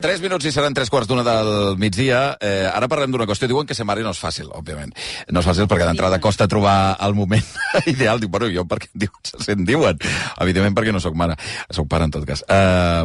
3 minuts i seran 3:15 del migdia. Ara parlem d'una qüestió. Diuen que ser mare no és fàcil, òbviament. No és fàcil perquè d'entrada costa trobar el moment ideal. Dic, bueno, jo perquè se'n diuen. Evidentment perquè no sóc mare. Soc pare, en tot cas.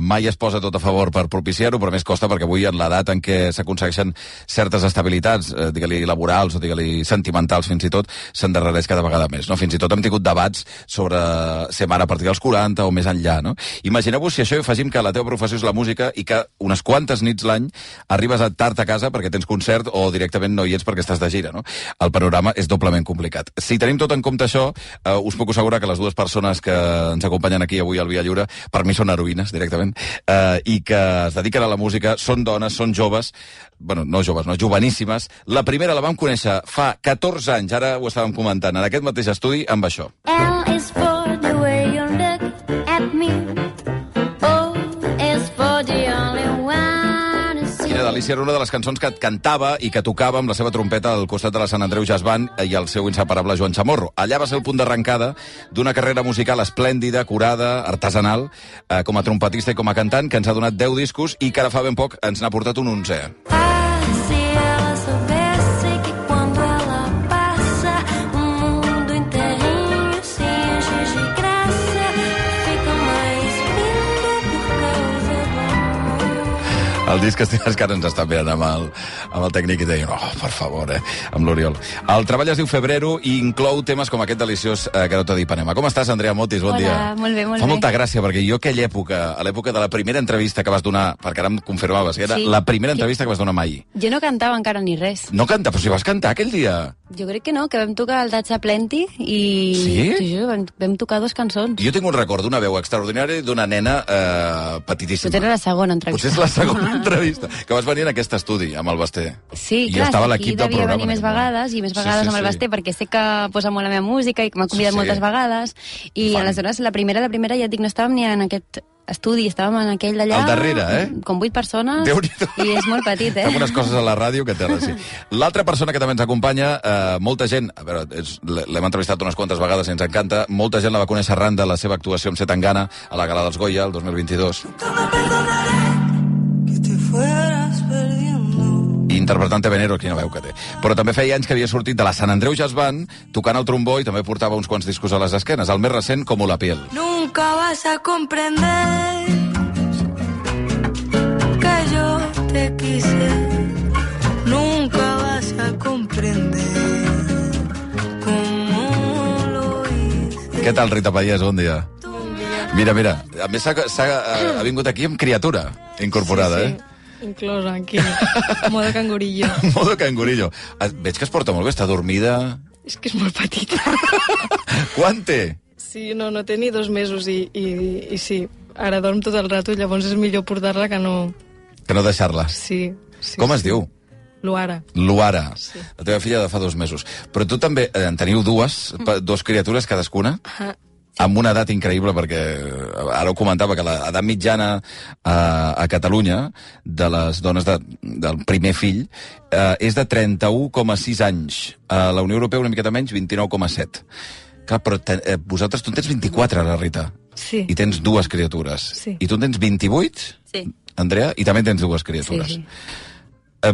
Mai es posa tot a favor per propiciar-ho, però més costa perquè avui, en l'edat en què s'aconsegueixen certes estabilitats, digue-li laborals o digue-li sentimentals fins i tot, s'endarrereix cada vegada més. No? Fins i tot hem tingut debats sobre ser mare a partir dels 40 o més enllà. No? Imagineu-vos si això hi afegim que la teva professió és la música i que unes quantes nits l'any arribes tard a casa perquè tens concert o directament no hi ets perquè estàs de gira, no? El panorama és doblement complicat. Si tenim tot en compte això, us puc assegurar que les dues persones que ens acompanyen aquí avui al Via Lliure, per mi són heroïnes, directament, i que es dediquen a la música, són dones, són joves, bueno, no joves, no, joveníssimes. La primera la vam conèixer fa 14 anys, ara ho estàvem comentant, en aquest mateix estudi, amb això. L is for the way you look at me. Delícia era una de les cançons que et cantava i que tocava amb la seva trompeta al costat de la Sant Andreu Jazz Band i el seu inseparable Joan Chamorro. Allà va ser el punt d'arrencada d'una carrera musical esplèndida, curada, artesanal, com a trompetista i com a cantant, que ens ha donat 10 discos i que ara fa ben poc ens n'ha portat un 11è. El disc que ara ens està mirant amb el tècnic i deien, oh, per favor, amb l'Oriol. El treball es diu Febrero i inclou temes com aquest deliciós Garota d'Ipanema. Com estàs, Andrea Motis? Bon dia. Hola, molt bé, molt bé. Fa molta gràcia, perquè jo aquella època, a l'època de la primera entrevista que vas donar, perquè ara em confirmaves, que era la primera entrevista que vas donar mai. Jo no cantava encara ni res. No canta, però si vas cantar aquell dia. Jo crec que no, que vam tocar el Datxa Plenty i... Sí? Vam tocar 2 cançons. Jo tinc un record d'una veu extraordinària d'una nena petitíssima. Potser era la segona entrevista. Potser és la segona entrevista, que vas venir en aquest estudi, amb el Basté. Sí, I clar, estava aquí l'equip del devia programa. venir més vegades, i més vegades amb el Basté, perquè sé que posa molt la meva música i que m'ha convidat moltes vegades, i aleshores la primera ja et dic, no estàvem ni en aquest estudi, estàvem en aquell d'allà... Al darrere, com 8 persones, i és molt petit, Fem unes coses a la ràdio que té sí. L'altra persona que també ens acompanya, molta gent, a veure, l'hem entrevistat unes quantes vegades i ens encanta, molta gent la va conèixer arran de la seva actuació amb Zetangana a la Gala dels Goya, el 2022. Interpretant Venero, quina veu que té. Però també feia anys que havia sortit de la Sant Andreu Jazz Band, tocant el trombó i també portava uns quants discos a les esquenes. El més recent, Como la piel. Nunca vas a comprender que yo te quise. Nunca vas a comprender como lo hice. Què tal, Rita Pallés? Bon dia. Mira, a més ha vingut aquí amb criatura incorporada, sí. Inclosa, aquí. Modo cangurillo. Modo cangurillo. Veig que es porta molt bé, està dormida... És que és molt petita. Quan té? Sí, no té ni 2 mesos i sí, ara dorm tot el rato i llavors és millor portar-la que no... Que no deixar-la. Sí. Com es diu? Luara. Luara. Sí. La teva filla de fa 2 mesos. Però tu també en teniu 2 criatures cadascuna? Amb una edat increïble, perquè ara ho comentava, que l'edat mitjana a Catalunya de les dones del primer fill és de 31,6 anys. A la Unió Europea una miqueta menys, 29,7. Clar, però vosaltres, tu en tens 24, la Rita. Sí. I tens 2 criatures. Sí. I tu en tens 28, sí. Andrea? I també tens 2 criatures. Sí.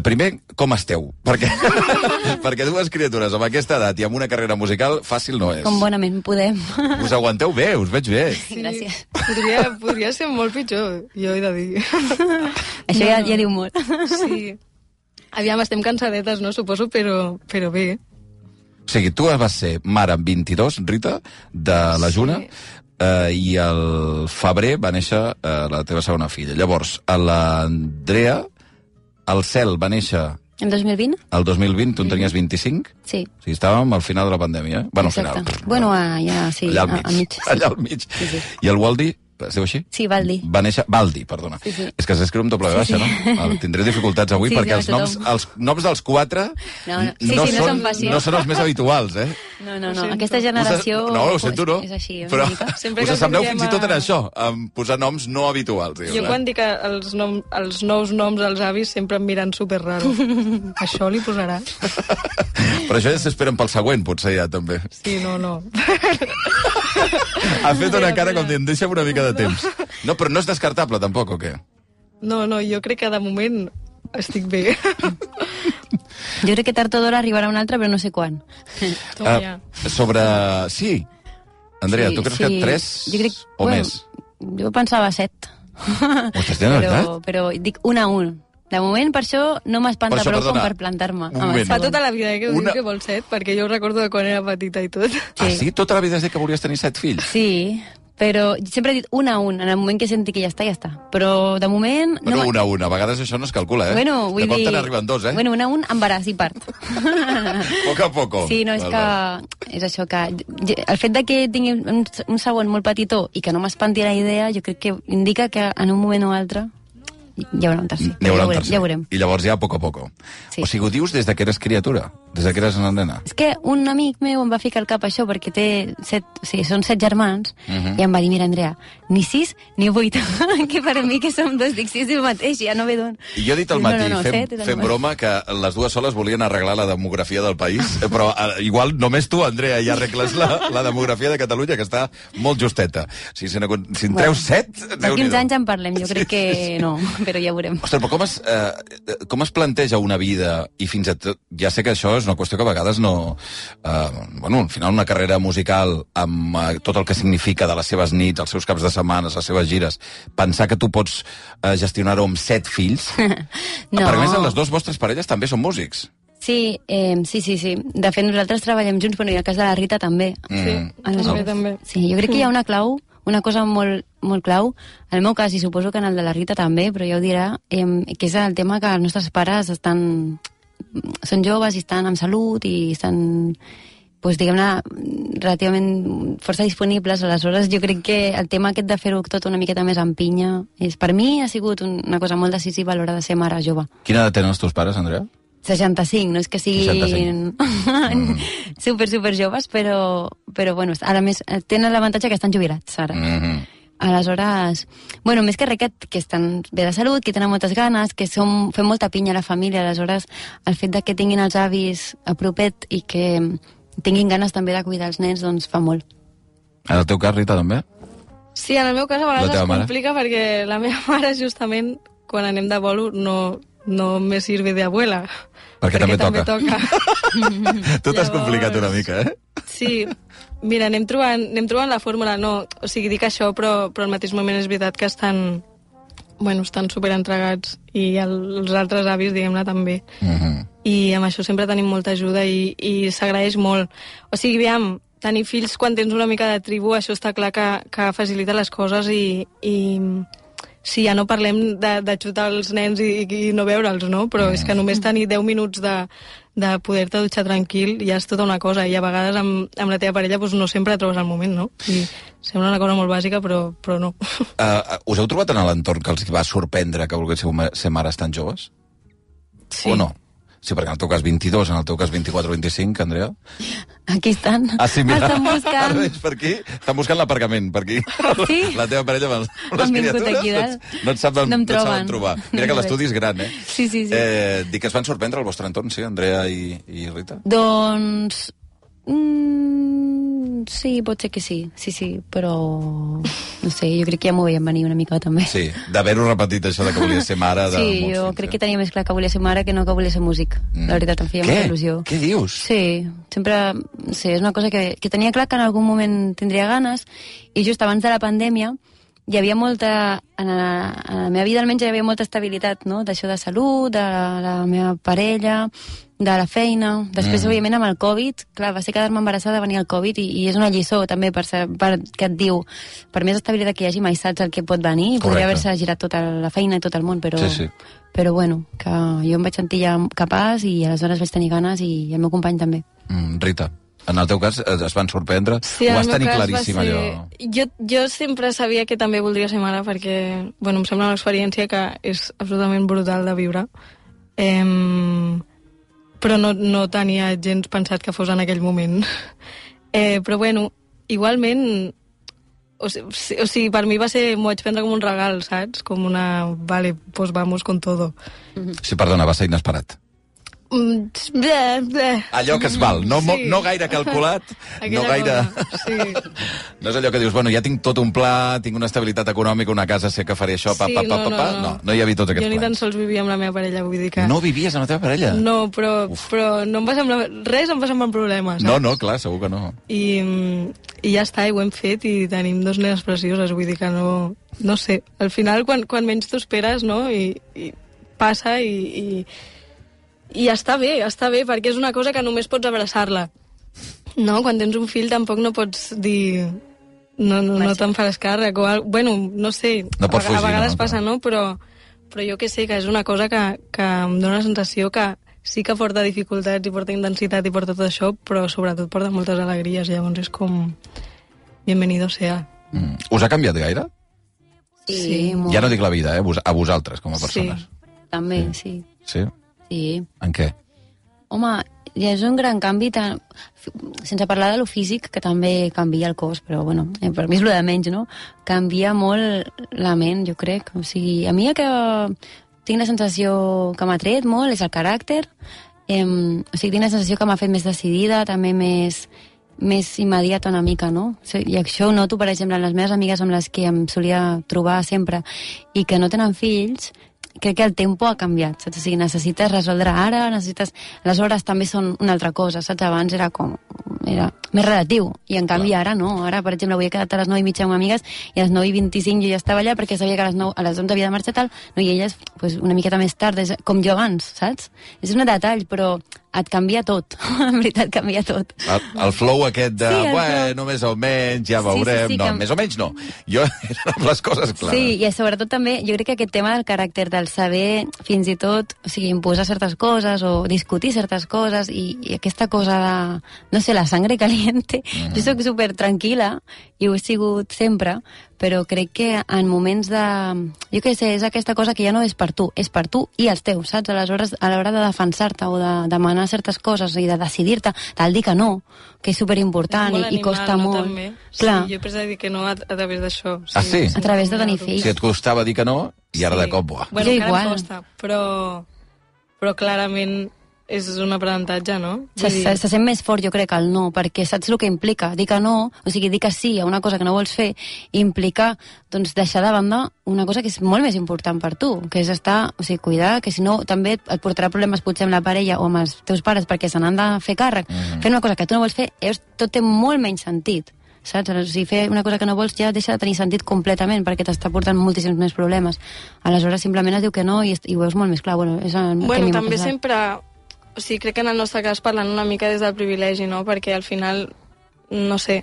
Primer, com esteu? Perquè 2 criatures amb aquesta edat i amb una carrera musical fàcil no és. Com bonament podem. Us aguanteu bé, us veig bé. Sí, gràcies. Podria ser molt pitjor, jo he de dir. Això ja diu molt. Sí. Aviam, estem cansadetes, no? Suposo, però bé. O sigui, tu vas ser mare amb 22, Rita, de la Juna, i al febrer va néixer la teva segona filla. Llavors, a l'Andrea... El Cel va néixer... El 2020? El 2020, tu en tenies 25? Sí. O sigui, estàvem al final de la pandèmia. Bueno, exacte. al final. Bueno, ja, sí. Allà al mig. Al mig. Allà al mig. Sí. I el Waldi, es diu així? Sí, Valdi. Va néixer... Valdi, perdona. Sí. És que s'escriu amb doble baixa, no? Tindré dificultats avui perquè els noms dels 4 no són fàcils. No són els més habituals, No. Aquesta generació... No, ho sento, no. És així. Però sempre us assembleu fins i tot en això, en posar noms no habituals. Jo quan dic els nous noms als avis sempre em miren superraro. Això li posarà. Però això ja s'esperen pel següent, potser ja, també. Sí, no. Ha fet una cara com dient, deixa'm una mica de temps. No, però no és descartable, tampoc, o què? No, jo crec que de moment estic bé. Jo crec que tard o d'hora arribarà un altre, però no sé quan. Toma ja. Sí. Andrea, Sí, tu creus sí. que 3 Jo crec, o bueno, més? Jo pensava 7. Ostres, de veritat? Però dic 1 a 1. De moment, per això, no m'espanta Per això, prou com perdona, per plantar-me. un moment. Fa tota la vida que ho Una- diu que vol 7, perquè jo ho recordo de quan era petita i tot. Ah, sí? Tota la vida has dit que volies tenir 7 fills? Sí, però sempre he dit 1 a 1. En el moment que senti que ja està. Però, de moment... Bueno, 1 a 1. A vegades això no es calcula, eh? Bueno, vull de cop dir... te n'arriben 2, eh? Bueno, 1 a 1, embaràs i part. Poco a poco. Sí, no, és que... És això, que... El fet de que tingui un segon molt petitó i que no m'espanti la idea, jo crec que indica que en un moment o altre hi haurà un tercer. N'hi haurà un Ja ho tercer. veurem. I llavors ja, a poco a poco. Sí. O sigui, ho dius des de que eres criatura, des de que eres una nena. És que un amic meu em va ficar al cap això, perquè té 7, o sigui, són 7 germans, i em va dir, mira, Andrea, ni 6 ni 8, que per mi que som 2, dic, sí, és el mateix, ja no ve d'on. I jo he dit al matí, set, és el fent mateix. broma, que les dues soles volien arreglar la demografia del país, però igual només tu, Andrea, ja arregles la demografia de Catalunya, que està molt justeta. O sigui, si en treus 7... D'aquí uns anys en parlem, jo crec que no, però ja ho veurem. Ostres, però com es planteja una vida i fins a tot... Ja sé que això és una qüestió que a vegades no... bueno, al final una carrera musical amb tot el que significa de les seves nits, els seus caps de setmana, les seves gires, pensar que tu pots gestionar-ho amb 7 fills... No. Perquè, a més, les dues vostres parelles també són músics. Sí, sí. De fet, nosaltres treballem junts, però i el cas de la Rita també. Sí, també. Sí, jo crec que hi ha una clau, una cosa molt, molt clau, en el meu cas, i suposo que en el de la Rita també, però ja ho dirà, que és el tema que els nostres pares són joves i estan amb salut i estan, doncs, diguem-ne, relativament força disponibles. Aleshores, jo crec que el tema aquest de fer-ho tot una miqueta més amb pinya, per mi ha sigut una cosa molt decisiva a l'hora de ser mare jove. Quina edat tenen els teus pares, Andrea? 65, no és que siguin super joves, però bueno, ara més tenen l'avantatge que estan jubilats ara. Aleshores, bueno, més que res que estan bé de salut, que tenen moltes ganes, que fem molta pinya a la família, aleshores el fet de que tinguin els avis a propet i que tinguin ganes també de cuidar els nens, doncs fa molt. En el teu cas, Rita, també? Sí, en el meu cas a La vegades teva es mare? complica perquè la meva mare justament quan anem de bolo no me sirve de abuela. Perquè també toca. Tu t'has Llavors- complicat una mica, eh? Sí, mira, anem trobant la fórmula, no, o sigui, dic això, però al mateix moment és veritat que estan superentregats i els altres avis, diguem-ne, també. I amb això sempre tenim molta ajuda i s'agraeix molt. O sigui, aviam, tenir fills quan tens una mica de tribu, això està clar que facilita les coses i sí, ja no parlem de xutar els nens i no veure'ls, no? Però és que només tenir 10 minuts de poder-te dutxar tranquil ja és tota una cosa, i a vegades amb la teva parella doncs no sempre trobes el moment, no? I sembla una cosa molt bàsica, però no. Us heu trobat en l'entorn que els va sorprendre que volguéssiu ser mares tan joves? Sí. O no? Sí, perquè en el teu cas 22, en el teu cas 24 o 25, Andrea. Aquí estan. Ah, sí, mira. Estan buscant. Ara veig per aquí. Estan buscant l'aparcament, per aquí. Sí? La teva parella amb les Han vingut criatures aquí dalt. no et saben, No em et saben troben. trobar. Mira que l'estudi és gran, eh? Sí. Dic que es van sorprendre al vostre entorn, sí, Andrea i Rita? Doncs... sí, pot ser que sí, però... No sé, jo crec que ja m'ho veiem venir una mica també. Sí, d'haver-ho repetit això de que volia ser mare de Sí, molts jo fills, crec que tenia més clar que volia ser mare que no que volia ser músic. La veritat, em feia molta il·lusió. Què dius? Sí, sempre... Sí, és una cosa que tenia clar que en algun moment tindria ganes, i just abans de la pandèmia hi havia molta... En la meva vida almenys hi havia molta estabilitat, no? D'això de salut, de la meva parella, de la feina. Després, òbviament, amb el Covid, clar, va ser quedar-me embarassada, venir el Covid, i és una lliçó també que et diu, per més estabilitat que hi hagi, mai saps el que pot venir, i podria haver-se girat tota la feina i tot el món, però... Sí. Però bueno, que jo em vaig sentir ja capaç i aleshores vaig tenir ganes, i el meu company també. Rita, en el teu cas es van sorprendre? Sí, ho en el vas meu tenir cas claríssim, va ser... allò? Jo sempre sabia que també voldria ser mare perquè, bueno, em sembla una experiència que és absolutament brutal de viure. Però no tenia gens pensat que fos en aquell moment. Però bueno, igualment, o sigui, per mi va ser, m'ho vaig prendre com un regal, saps? Com una, vale, pues vamos con todo. Sí, perdona, va ser inesperat. Allò que es val, no gaire calculat, no gaire... Sí. No és allò que dius, bueno, ja tinc tot un pla, tinc una estabilitat econòmica, una casa, sé que faré això, no hi havia tots aquests plans. Jo ni tan plans. sols vivia amb la meva parella, vull dir que... No vivies amb la teva parella? No, però no em va semblar... Res em va semblar un problema, saps? No, clar, segur que no. I ja està, i ho hem fet, i tenim 2 nenes precioses, vull dir que no sé. Al final, quan menys t'ho esperes, no? I passa i està bé, perquè és una cosa que només pots abraçar-la. No? Quan tens un fill tampoc no pots dir... No te'n faràs càrrec o bueno, no sé, no pots fugir, a vegades passa, no? Però jo que sé que és una cosa que em dóna la sensació que sí que porta dificultats i porta intensitat i porta tot això, però sobretot porta moltes alegries, llavors és com bienvenido sea. Us ha canviat gaire? Sí, molt. Ja no dic la vida, a vosaltres com a persones. Sí, també, sí. Sí? Sí. En què? Home, ja és un gran canvi, sense parlar de lo físic, que també canvia el cos, però bueno, per mi és lo de menys, no? Canvia molt la ment, jo crec. O sigui, a mi el que tinc la sensació que m'ha tret molt és el caràcter, o sigui, tinc la sensació que m'ha fet més decidida, també més immediata una mica, no? I això ho noto, per exemple, en les meves amigues amb les que em solia trobar sempre i que no tenen fills, crec que el tempo ha canviat, saps? O sigui, necessites resoldre ara, les hores també són una altra cosa, saps? Abans era més relatiu, i en canvi ara no. Ara, per exemple, avui he quedat a les 9:30 amb amigues i a les 9:25 jo ja estava allà perquè sabia que a les 11 havia de marxar tal, no? I elles pues, una miqueta més tard, com jo abans, saps? És un detall, però et canvia tot, en veritat canvia tot. El flow aquest de, bueno, més o menys, ja veurem... Sí, no, més o menys no. Jo eren les coses clares. Sí, i sobretot també, jo crec que aquest tema del caràcter, del saber fins i tot, o sigui, imposar certes coses o discutir certes coses i aquesta cosa de, no sé, la sangre caliente. Jo soc super tranquil·la i ho he sigut sempre, però crec que en moments de... Jo què sé, és aquesta cosa que ja no és per tu, és per tu i els teus, saps? Aleshores, a l'hora de defensar-te o de demanar certes coses i de decidir-te, tal dir que no, que és superimportant i costa molt. També. Clar. Sí, jo he de dir que no a través d'això. Sí. Ah, sí? A través de tenir fills. Si et costava dir que no, i ara de cop, buah. Bueno, encara em costa, però clarament és un aprenentatge, no? Se sent més fort, jo crec, el no, perquè saps el que implica dir que no, o sigui, dir que sí a una cosa que no vols fer, implica, doncs, deixar de banda una cosa que és molt més important per tu, que és estar, o sigui, cuidar, que si no també et portarà problemes potser amb la parella o amb els teus pares perquè se n'han de fer càrrec. Fer una cosa que tu no vols fer, tot té molt menys sentit, saps? O sigui, fer una cosa que no vols ja deixa de tenir sentit completament perquè t'està portant moltíssims més problemes. Aleshores, simplement es diu que no i ho veus molt més clar. Bueno, també sempre... O sigui, crec que en el nostre cas parlant una mica des del privilegi, no? Perquè al final, no sé,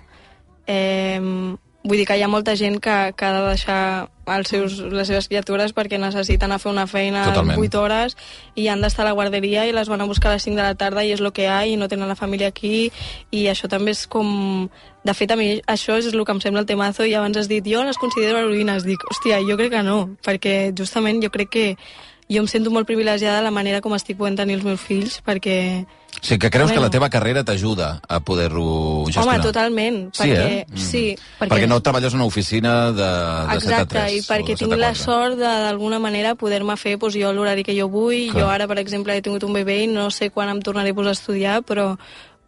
vull dir que hi ha molta gent que ha de deixar les seves criatures perquè necessiten anar a fer una feina 8 hores i han d'estar a la guarderia i les van a buscar a les 5 de la tarda i és el que hi ha i no tenen la família aquí i això també és com... De fet, a mi això és el que em sembla el temazo i abans has dit, jo les considero heroïnes. Dic, hòstia, jo crec que no, perquè justament jo crec que jo em sento molt privilegiada de la manera com estic podent tenir els meus fills, perquè... Sí, que creus que la teva carrera t'ajuda a poder-ho gestionar. Home, totalment. Perquè, sí, perquè no treballes en una oficina de 7 a 3. Exacte, i perquè tinc la sort d'alguna manera poder-me fer jo l'horari que jo vull. Clar. Jo ara, per exemple, he tingut un bebè i no sé quan em tornaré a posar a estudiar, però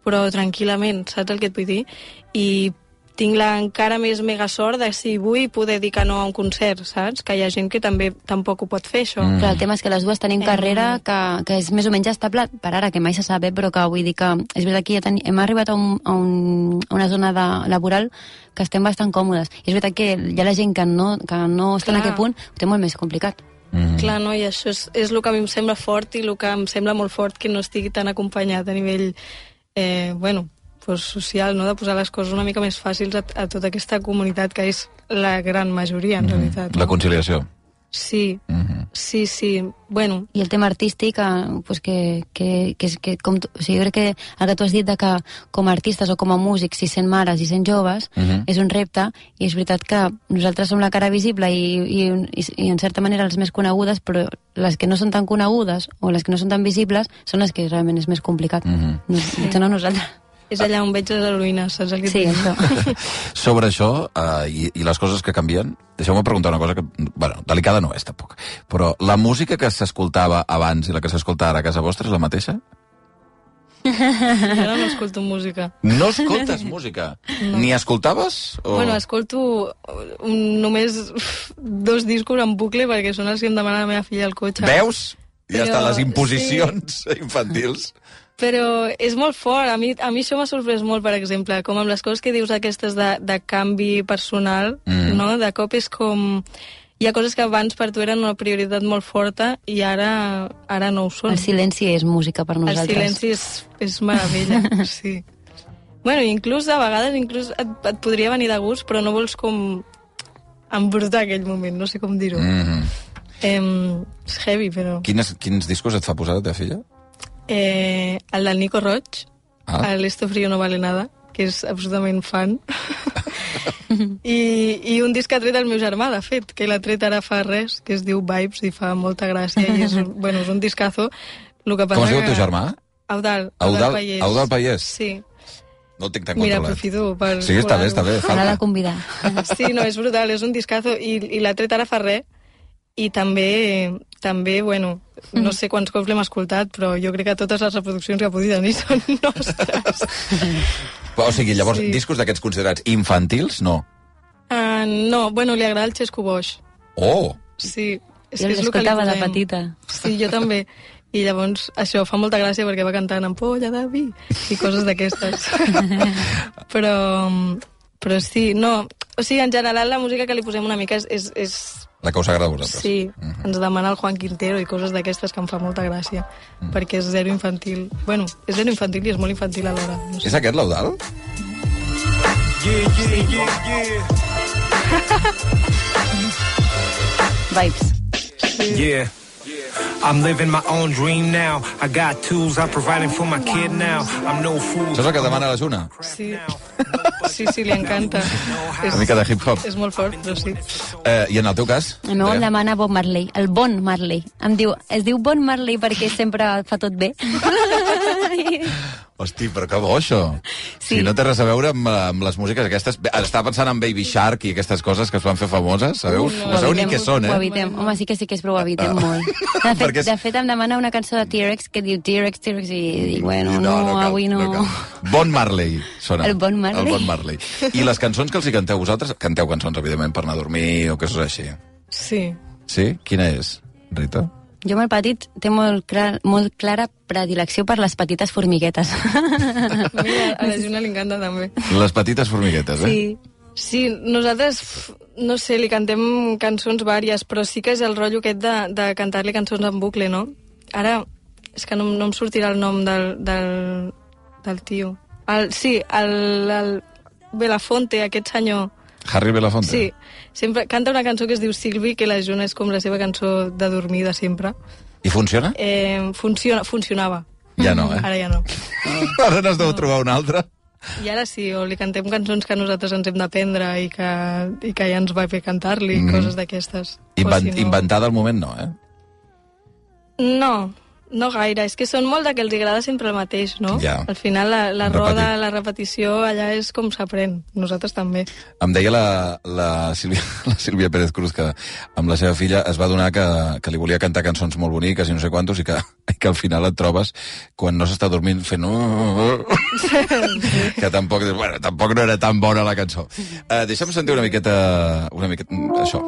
tranquil·lament, saps el que et vull dir? I tinc encara més mega sort de si vull poder dir que no a un concert, saps? Que hi ha gent que també tampoc ho pot fer, això. Però el tema és que les dues tenim carrera que és més o menys estable per ara, que mai se sap, però que vull dir que és veritat que hem arribat a una zona laboral que estem bastant còmodes. I és veritat que hi ha la gent que no està en aquest punt, ho té molt més complicat. Clar, no, i això és el que a mi em sembla fort i el que em sembla molt fort que no estigui tan acompanyat a nivell, social, no? De posar les coses una mica més fàcils a tota aquesta comunitat que és la gran majoria, en realitat. La conciliació. Sí, sí. Bueno. I el tema artístic, que com, o sigui, jo crec que el que tu has dit de que com a artistes o com a músics, si sent mares i sent joves, és un repte, i és veritat que nosaltres som la cara visible i en certa manera les més conegudes, però les que no són tan conegudes o les que no són tan visibles són les que realment és més complicat. No nosaltres. És allà on veig les heroïnes, saps el que sí, això. Sobre això, i les coses que canvien, deixeu-me preguntar una cosa que, delicada no és, tampoc, però la música que s'escoltava abans i la que s'escolta ara a casa vostra és la mateixa? Jo ara no escolto música. No escoltes música? No. Ni escoltaves? O... Bueno, escolto només 2 discos en bucle perquè són els que em demana la meva filla al cotxe. Veus? Ja Però, estan les imposicions infantils. Però és molt fort. A mi això m'ha sorprès molt, per exemple, com amb les coses que dius aquestes de canvi personal, no? De cop és com... Hi ha coses que abans per tu eren una prioritat molt forta i ara no ho són. El silenci és música per nosaltres. El silenci és meravella, sí. Bueno, inclús a vegades et podria venir de gust, però no vols com embrutar aquell moment, no sé com dir-ho. És heavy, però... Quins discos et fa posar la teva filla? El del Nico Roig, el Esto frío no vale nada, que és absolutament fan. I un disc que ha tret el meu germà, de fet, que l'ha tret ara fa res, que es diu Vibes, i fa molta gràcia, i és un discazo. Com es diu el teu germà? Eudal Pallés. Eudal Pallés? Sí. No el tinc tan Mira, controlat. aprofito per... Sí, està bé. L'ha de convidar. Sí, no, és brutal, és un discazo, i l'ha tret ara fa res, i també, bueno, no sé quants cops l'hem escoltat, però jo crec que totes les reproduccions que ha pogut tenir són nostres. O sigui, llavors, discos d'aquests considerats infantils, no? No, bueno, li agrada el Xesco Boix. Oh! Sí, Jo l'escoltava de petita. Sí, jo també. I llavors això fa molta gràcia perquè va cantant Ampolla de vi i coses d'aquestes. Però sí, no... O sigui, en general la música que li posem una mica és... La que us agrada a vosaltres. Sí, ens demana el Juan Quintero i coses d'aquestes que em fa molta gràcia, perquè és zero infantil. Bueno, és zero infantil i és molt infantil alhora. No sé. És aquest l'Eudal? Vibes. Yeah. I'm living my own dream now. I got tools, I'm providing for my kid now. I'm no fool. Això és el que demana la Juna? Sí. Sí, li encanta. Una mica de hip-hop. És molt fort, però sí. I en el teu cas? No, em demana Bob Marley, el Bon Marley. Es diu Bon Marley perquè sempre fa tot bé. Hosti, però que bo, això. Sí. Si no té res a veure amb les músiques aquestes... Estava pensant en Baby Shark i aquestes coses que es van fer famoses, sabeu? No sabeu ni què són, Ho evitem. Home, sí que però ho evitem molt. De fet, em demana una cançó de T-Rex que diu T-Rex, i dic, bueno, no, avui no. Bon Marley, sona. El Bon Marley. El Bon Marley. I les cançons que els hi canteu vosaltres, canteu cançons, evidentment, per anar a dormir o coses així. Sí. Sí? Quina és, Rita? Jo amb el petit té molt clara predilecció per les petites formiguetes. Mira, a la Juna li encanta també. Les petites formiguetes, Sí, nosaltres, no sé, li cantem cançons vàries, però sí que és el rotllo aquest de cantar-li cançons en bucle, no? Ara, és que no em sortirà el nom del tio. El Belafonte, aquest senyor... Harry Belafonte? Sí, sempre canta una cançó que es diu Silvi, que la Juna és com la seva cançó de dormir de sempre. I funciona? Funcionava. Ja no, Ara ja no. Ara n'has de trobar una altra? I ara sí, o li cantem cançons que nosaltres ens hem d'aprendre i que ja ens va fer cantar-li, coses d'aquestes. Inventada al moment no, No gaire, és que són molt de que els agrada sempre el mateix, no? Ja. Al final la roda, la repetició, allà és com s'aprèn. Nosaltres també. Em deia la Sílvia Pérez Cruz que amb la seva filla es va adonar que li volia cantar cançons molt boniques i no sé quantos i que al final et trobes quan no s'està dormint fent... que tampoc no era tan bona la cançó. Deixa'm sentir una miqueta això.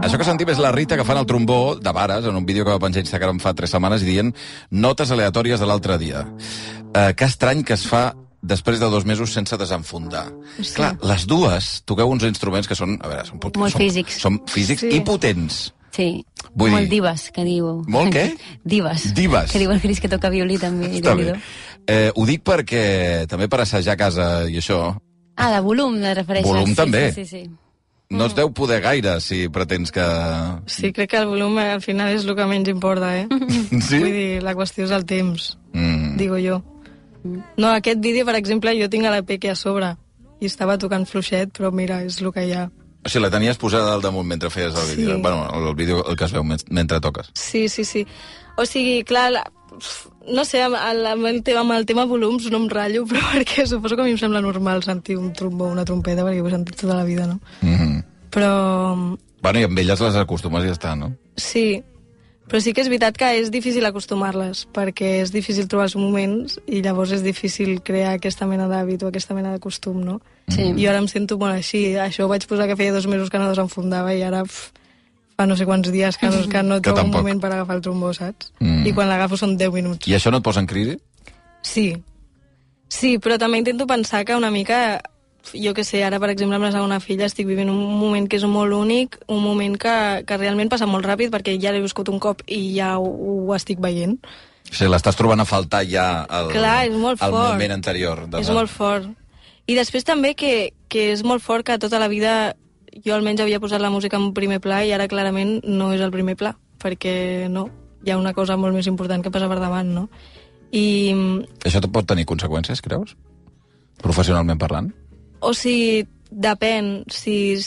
Això que sentim és la Rita agafant el trombó de Vares en un vídeo que va penjar a Instagram fa 3 setmanes i dient notes aleatòries de l'altre dia. Que estrany que es fa després de 2 mesos sense desenfundar. Sí. Clar, les dues toqueu uns instruments que són, a veure, molt físics. Són físics i potents. Sí, molt dives, que diu. Molt què? Dives. Que diu el Cris que toca violí també. Està bé. Ho dic perquè també per assajar a casa i això... De volum, de refereixes. Volum també. Sí. No es deu poder gaire, si pretens que... Sí, crec que el volum al final és el que menys importa, Sí? Vull dir, la qüestió és el temps, digo jo. No, aquest vídeo, per exemple, jo tinc a la Peque a sobre i estava tocant fluixet, però mira, és el que hi ha. O sigui, la tenies posada al damunt mentre feies el vídeo. Sí. Bueno, el vídeo el que es veu mentre toques. Sí. O sigui, clar, no sé, amb el tema volums no em ratllo, però perquè suposo que a mi em sembla normal sentir un trombó o una trompeta, perquè ho he sentit tota la vida, no? Però Bueno, i amb elles les acostumes i ja està, no? Sí, però sí que és veritat que és difícil acostumar-les, perquè és difícil trobar els moments i llavors és difícil crear aquesta mena d'hàbit o aquesta mena de costum, no? Sí. I ara em sento molt així. Això ho vaig posar que feia 2 mesos que no desenfundava i ara fa no sé quants dies que no trobo un moment per agafar el trombó, saps? I quan l'agafo són 10 minuts. I això no et posa en crisi? Sí. Sí, però també intento pensar que una mica... Jo què sé, ara, per exemple, amb la segona filla estic vivint un moment que és molt únic, un moment que realment passa molt ràpid perquè ja l'he viscut un cop i ja ho estic veient. O sigui, l'estàs trobant a faltar ja el moment anterior. És molt fort. I després també que és molt fort que tota la vida jo almenys havia posat la música en primer pla i ara clarament no és el primer pla, perquè no, hi ha una cosa molt més important que passa per davant, no? I... Això pot tenir conseqüències, creus? Professionalment parlant? O sigui, depèn. Si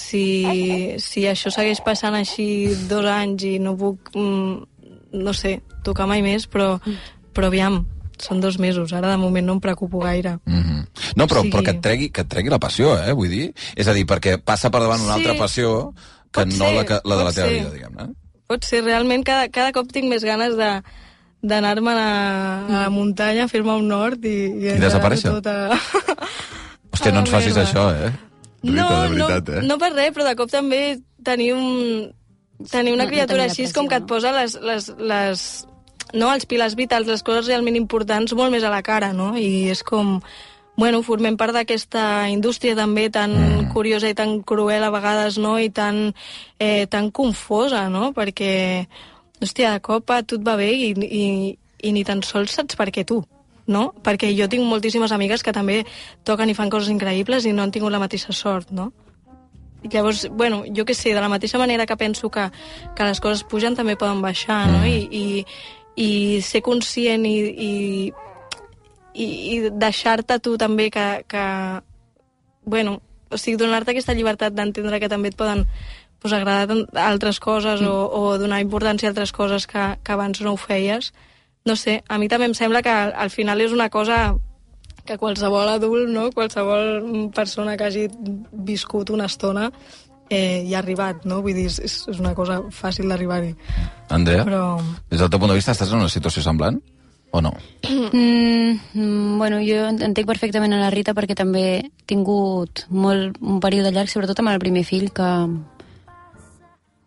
això segueix passant així 2 anys i no puc, no sé, tocar mai més, però aviam, són 2 mesos. Ara, de moment, no em preocupo gaire. No, però que et tregui la passió, vull dir. És a dir, perquè passa per davant una altra passió que no la de la teva vida, diguem-ne. Pot ser. Realment, cada cop tinc més ganes d'anar-me a la muntanya, fer-me un nord i desaparèixer. Hòstia, no ens facis això, No, de veritat, no per res, però de cop també tenir una criatura així és com que et posa els pilars vitals, les coses realment importants molt més a la cara, no? I és com, bueno, formem part d'aquesta indústria també tan curiosa i tan cruel a vegades, no? I tan confosa, no? Perquè, hòstia, de cop a tu et va bé i ni tan sols saps per què tu. No? Perquè jo tinc moltíssimes amigues que també toquen i fan coses increïbles i no han tingut la mateixa sort, no? I llavors, bueno, jo què sé, de la mateixa manera que penso que les coses pugen també poden baixar, no? I ser conscient i deixar-te tu també que bueno, o sigui, donar-te aquesta llibertat d'entendre que també et poden agradar altres coses o donar importància a altres coses que abans no ho feies. No sé, a mi també em sembla que al final és una cosa que qualsevol adult, no? Qualsevol persona que hagi viscut una estona hi ha arribat, no? Vull dir, és una cosa fàcil d'arribar-hi. Andrea, des del teu punt de vista, estàs en una situació semblant o no? Bueno, jo entenc perfectament a la Rita perquè també he tingut un període llarg, sobretot amb el primer fill, que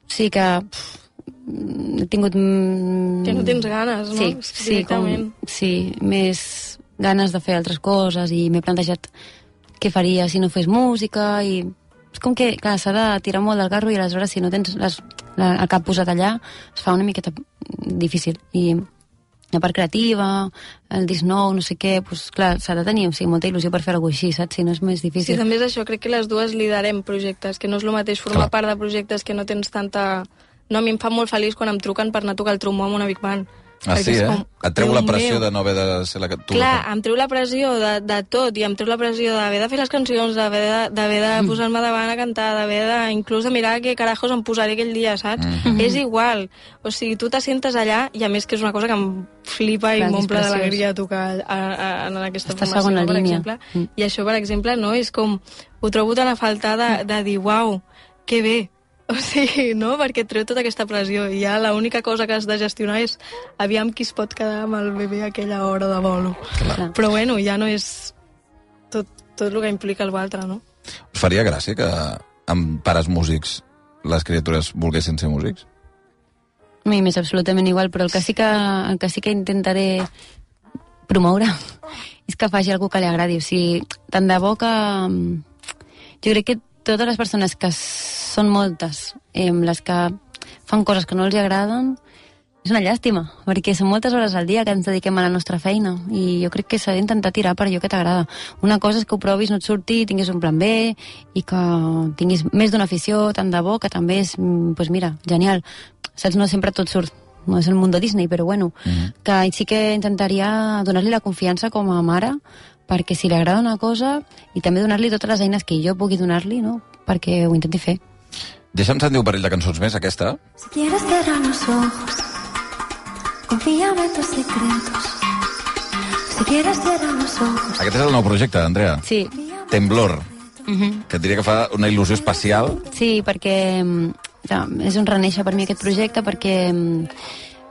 sí que... he tingut... Que no tens ganes, no? Sí, més ganes de fer altres coses i m'he plantejat què faria si no fes música i és com que, clar, s'ha de tirar molt del carro i aleshores si no tens el cap posat allà es fa una miqueta difícil i la part creativa, el disc nou, no sé què, doncs clar, s'ha de tenir molta il·lusió per fer alguna cosa així, saps? Si no és més difícil. Sí, també és això, crec que les dues liderem projectes, que no és el mateix formar part de projectes que no tens tanta... No, a mi em fa molt feliç quan em truquen per anar a tocar el trombó amb una Big Band. Ah, sí, Et treu la pressió de no haver de ser la que tu... Clar, em treu la pressió de tot, i em treu la pressió d'haver de fer les cancions, d'haver de posar-me davant a cantar, d'haver de... inclús de mirar què carajos em posaré aquell dia, saps? És igual. O sigui, tu t'assentes allà, i a més que és una cosa que em flipa i m'omple d'alegria tocar en aquesta formació, per exemple. I això, per exemple, no? És com... Ho trobo tan a faltar de dir, uau, que bé. O sigui, no? Perquè et treu tota aquesta pressió i ja l'única cosa que has de gestionar és aviam qui es pot quedar amb el bebè a aquella hora de bolo. Clar. Però bueno, ja no és tot el que implica el altre, no? Us faria gràcia que amb pares músics les criatures volguessin ser músics? A mi m'és absolutament igual, però el que sí que intentaré promoure és que faci algú que li agradi. O sigui, tant de bo que... Jo crec que totes les persones que són moltes, les que fan coses que no els agraden, és una llàstima, perquè són moltes hores al dia que ens dediquem a la nostra feina i jo crec que s'ha d'intentar tirar per allò que t'agrada. Una cosa és que ho provis, no et surti, tinguis un plan B i que tinguis més d'una afició, tant de bo, que també és, doncs mira, genial. Saps, no sempre tot surt, no és el món de Disney, però bueno, que sí que intentaria donar-li la confiança com a mare perquè si li agrada una cosa i també donar-li totes les eines que jo pugui donar-li, no? Perquè ho intenti fer. Deixa'm sentir un parell de cançons més, aquesta. Si quieres cierra los ojos, confíame tus secretos. Si quieres cierra los ojos. Aquest és el nou projecte, Andrea. Sí. Temblor. Que et diria que fa una il·lusió especial. Sí, perquè és un renéixer per mi aquest projecte perquè,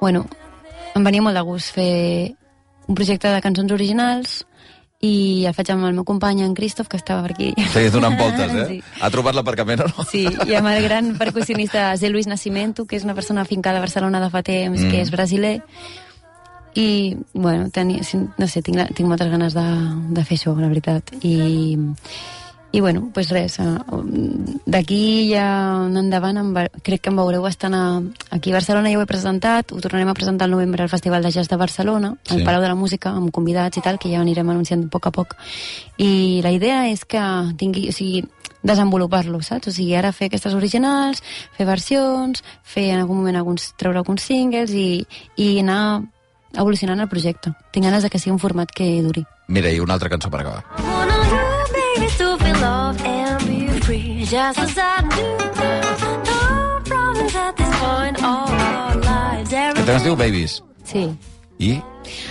bueno, em venia molt de gust fer un projecte de cançons originals i el faig amb el meu company, en Christoph, que estava per aquí. Sí, donant voltes, eh? Sí. Ha trobat l'aparcament o no? Sí, i amb el gran percussionista Zé Luis Nascimento, que és una persona afincada a Barcelona de fa temps, que és brasiler. I, bueno, no sé, tinc moltes ganes de fer això, la veritat. I bueno, doncs res, d'aquí ja endavant crec que em veureu bastant aquí a Barcelona, ja ho he presentat, ho tornarem a presentar al novembre al Festival de Jazz de Barcelona, al Palau de la Música, amb convidats i tal, que ja anirem anunciant a poc a poc. I la idea és que desenvolupar-lo, saps? O sigui, ara fer aquestes originals, fer versions, fer en algun moment treure alguns singles i anar evolucionant el projecte. Tinc ganes de que sigui un format que duri. Mira, i una altra cançó per acabar. To feel love and be free, just as I do now. No problems at this point of our lives. Aquest tema es diu Babies. Sí. I?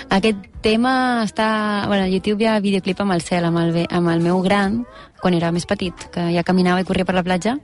Aquest tema està... Bueno, a YouTube hi ha videoclip amb el cel, amb el meu gran, quan era més petit, que ja caminava i corria per la platja,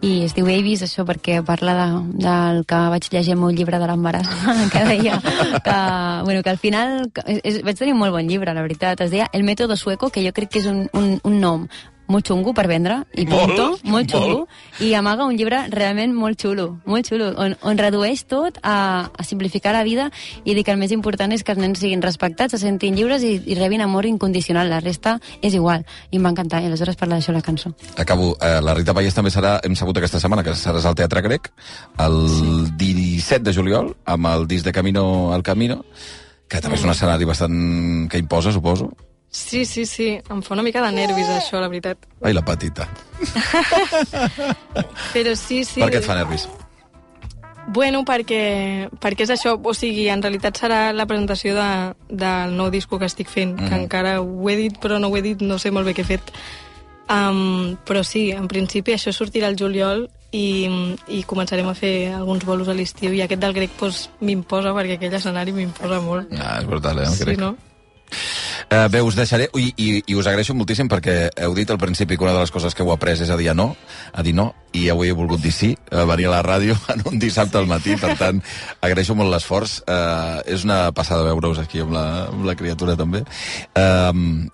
i es diu Babies, això perquè parla del que vaig llegir en el meu llibre de l'embaràs, que deia que al final... Vaig tenir un molt bon llibre, la veritat. Es deia El método sueco, que jo crec que és un nom molt xungo per vendre, i punto, molt xungo, i amaga un llibre realment molt xulo, on redueix tot a simplificar la vida i dir que el més important és que els nens siguin respectats, se sentin lliures i rebin amor incondicional. La resta és igual, i em va encantar, i aleshores parla d'això la cançó. Acabo. La Rita Pallés també serà, hem sabut aquesta setmana, que seràs al Teatre Grec, el 17 de juliol, amb el disc de Camino al Camino, que també és un escenari bastant que imposa, suposo. Sí. Em fa una mica de nervis, això, la veritat. Ai, la petita. Però sí. Per què et fa nervis? Bueno, perquè és això, o sigui, en realitat serà la presentació del nou disco que estic fent, que encara ho he dit, però no ho he dit, no sé molt bé què he fet. Però sí, en principi això sortirà al juliol i començarem a fer alguns bolos a l'estiu, i aquest del Grec m'imposa, perquè aquell escenari m'imposa molt. És brutal, el Grec. Sí, no? Bé, us deixaré, i us agraeixo moltíssim perquè heu dit al principi que una de les coses que heu après és a dir no, i avui he volgut dir sí, venir a la ràdio en un dissabte al matí, per tant, agraeixo molt l'esforç. És una passada veure-us aquí amb la criatura també,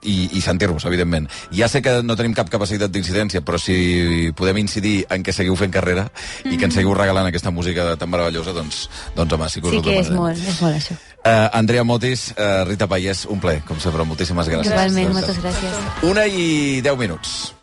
i sentir-vos, evidentment. Ja sé que no tenim cap capacitat d'incidència, però si podem incidir en que seguiu fent carrera i que ens seguiu regalant aquesta música tan meravellosa, doncs home, sí que us ho que és molt això. Andrea Motis, Rita Pallés, un plaer, com sempre, moltíssimes gràcies. Igualment, moltes gràcies. 1:10.